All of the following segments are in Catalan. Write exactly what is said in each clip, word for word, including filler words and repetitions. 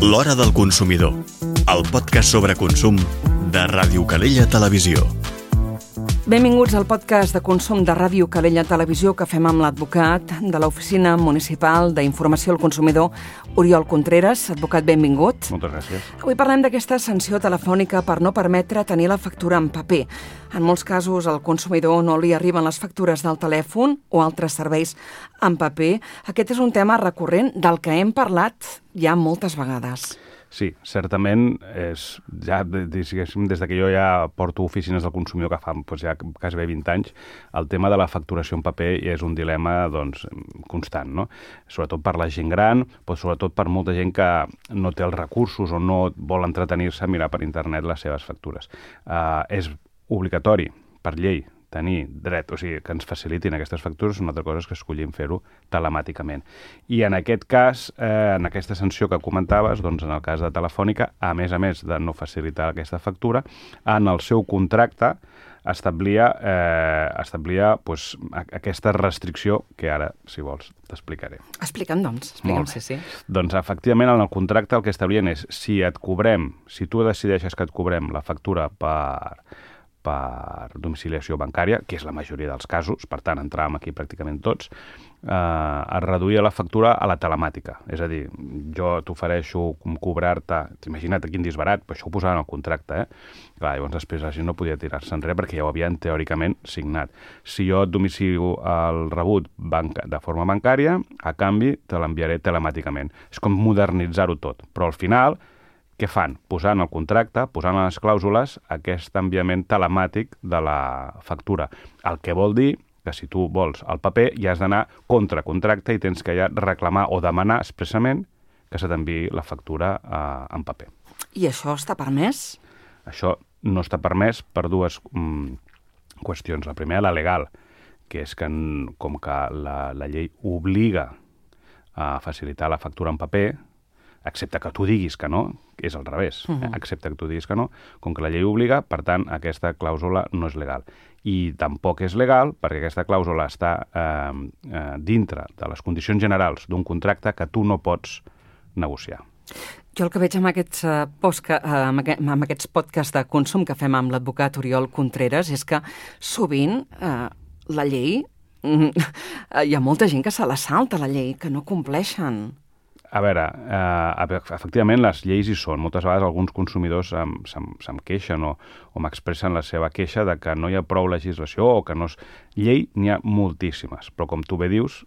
L'Hora del Consumidor, el podcast sobre consum de Ràdio Calella Televisió. Benvinguts al podcast de consum de Ràdio Calella Televisió que fem amb l'advocat de l'Oficina Municipal d'Informació al Consumidor, Oriol Contreras. Advocat, benvingut. Moltes gràcies. Avui parlem d'aquesta sanció telefònica per no permetre tenir la factura en paper. En molts casos al consumidor no li arriben les factures del telèfon o altres serveis en paper. Aquest és un tema recurrent del que hem parlat ja moltes vegades. Sí, certament, és, ja, diguéssim, des que jo ja porto oficines del consumidor que fa doncs, ja quasi bé vint anys, el tema de la facturació en paper és un dilema doncs, constant, no? Sobretot per la gent gran, però sobretot per molta gent que no té els recursos o no vol entretenir-se a mirar per internet les seves factures. Uh, és obligatori, per llei, tenir dret, o sigui, que ens facilitin aquestes factures, una altra cosa és que escollim fer-ho telemàticament. I en aquest cas, eh, en aquesta sanció que comentaves, doncs en el cas de Telefònica, a més a més de no facilitar aquesta factura, en el seu contracte establia, eh, establia pues, aquesta restricció que ara, si vols, t'explicaré. Explica'm, doncs. Explica'm, sí, sí. Doncs, efectivament, en el contracte el que establien és si et cobrem, si tu decideixes que et cobrem la factura per... per domiciliació bancària, que és la majoria dels casos, per tant, entràvem aquí pràcticament tots, eh, es reduïa la factura a la telemàtica. És a dir, jo t'ofereixo cobrar-te, imagina't quin disbarat, però això ho posava en el contracte, eh? Clar, llavors després la gent no podia tirar-se enrere perquè ja ho havien teòricament signat. Si jo et domicilio el rebut banca, de forma bancària, a canvi te l'enviaré telemàticament. És com modernitzar-ho tot, però al final què fan? Posant el contracte, posant a les clàusules aquest enviament telemàtic de la factura. El que vol dir que si tu vols el paper ja has d'anar contra contracte i tens que ja reclamar o demanar expressament que se t'enviï la factura eh, en paper. I això està permès? Això no està permès per dues mm, qüestions. La primera, la legal, que és que com que la, la llei obliga a facilitar la factura en paper, excepte que tu diguis que no, és al revés, uh-huh. eh? excepte que tu diguis que no, com que la llei obliga, per tant, aquesta clàusula no és legal. I tampoc és legal perquè aquesta clàusula està eh, eh, dintre de les condicions generals d'un contracte que tu no pots negociar. Jo el que veig amb aquests, uh, posca, uh, amb, aquest, amb aquests podcasts de consum que fem amb l'advocat Oriol Contreras és que sovint uh, la llei, uh, hi ha molta gent que se la salta, la llei, que no compleixen. A veure, eh, efectivament les lleis hi són. Moltes vegades alguns consumidors se'm, se'm, se'm queixen o, o m'expressen la seva queixa de que no hi ha prou legislació o que no és... Llei n'hi ha moltíssimes, però com tu bé dius,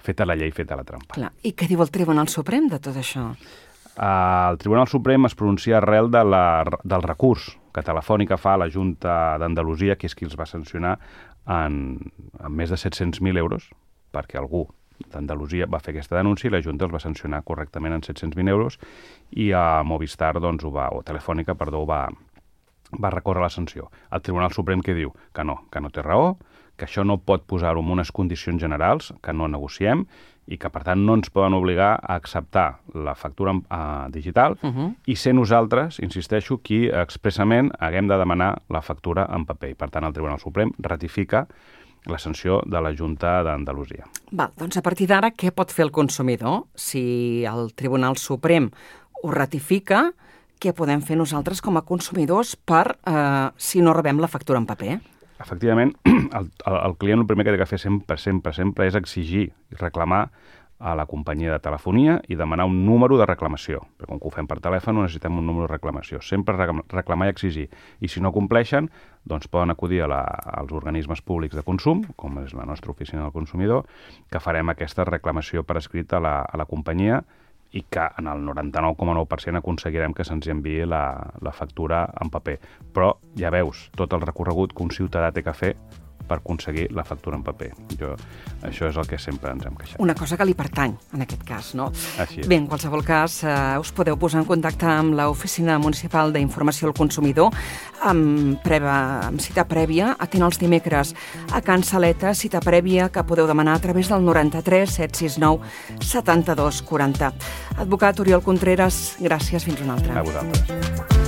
feta la llei, feta la trampa. Clar. I què diu el Tribunal Suprem de tot això? Eh, el Tribunal Suprem es pronuncia arrel de la, del recurs que Telefònica fa a la Junta d'Andalusia, que és qui els va sancionar en, en més de set-cents mil euros, perquè algú d'Andalusia va fer aquesta denúncia i la Junta els va sancionar correctament en set-cents mil euros i a Movistar, doncs, ho va, o Telefònica, perdó, va, va recórrer la sanció. El Tribunal Suprem que diu que no, que no té raó, que això no pot posar-ho en unes condicions generals, que no negociem i que, per tant, no ens poden obligar a acceptar la factura uh, digital uh-huh. i ser nosaltres, insisteixo, qui expressament haguem de demanar la factura en paper. I, per tant, el Tribunal Suprem ratifica la sanció de la Junta d'Andalusia. Val, doncs a partir d'ara, què pot fer el consumidor? Si el Tribunal Suprem ho ratifica, què podem fer nosaltres com a consumidors per, eh, si no rebem la factura en paper? Efectivament, el, el, el client el primer que ha de fer sempre, sempre, sempre és exigir i reclamar a la companyia de telefonia i demanar un número de reclamació. Perquè com que ho fem per telèfon necessitem un número de reclamació. Sempre reclamar i exigir. I si no compleixen, doncs poden acudir a la, als organismes públics de consum, com és la nostra oficina del consumidor, que farem aquesta reclamació per escrit a la, a la companyia i que en el noranta-nou coma nou per cent aconseguirem que se'ns enviï la, la factura en paper. Però ja veus tot el recorregut que un ciutadà té que fer per aconseguir la factura en paper. Jo, això és el que sempre ens hem queixat. Una cosa que li pertany, en aquest cas, no? Així és. Bé, en qualsevol cas, eh, us podeu posar en contacte amb l'Oficina Municipal d'Informació al Consumidor amb, preva, amb cita prèvia, atén els dimecres a Can Saleta, cita prèvia que podeu demanar a través del noranta-tres set sis nou setanta-dos quaranta. Advocat Oriol Contreras, gràcies, fins una altra. A vosaltres.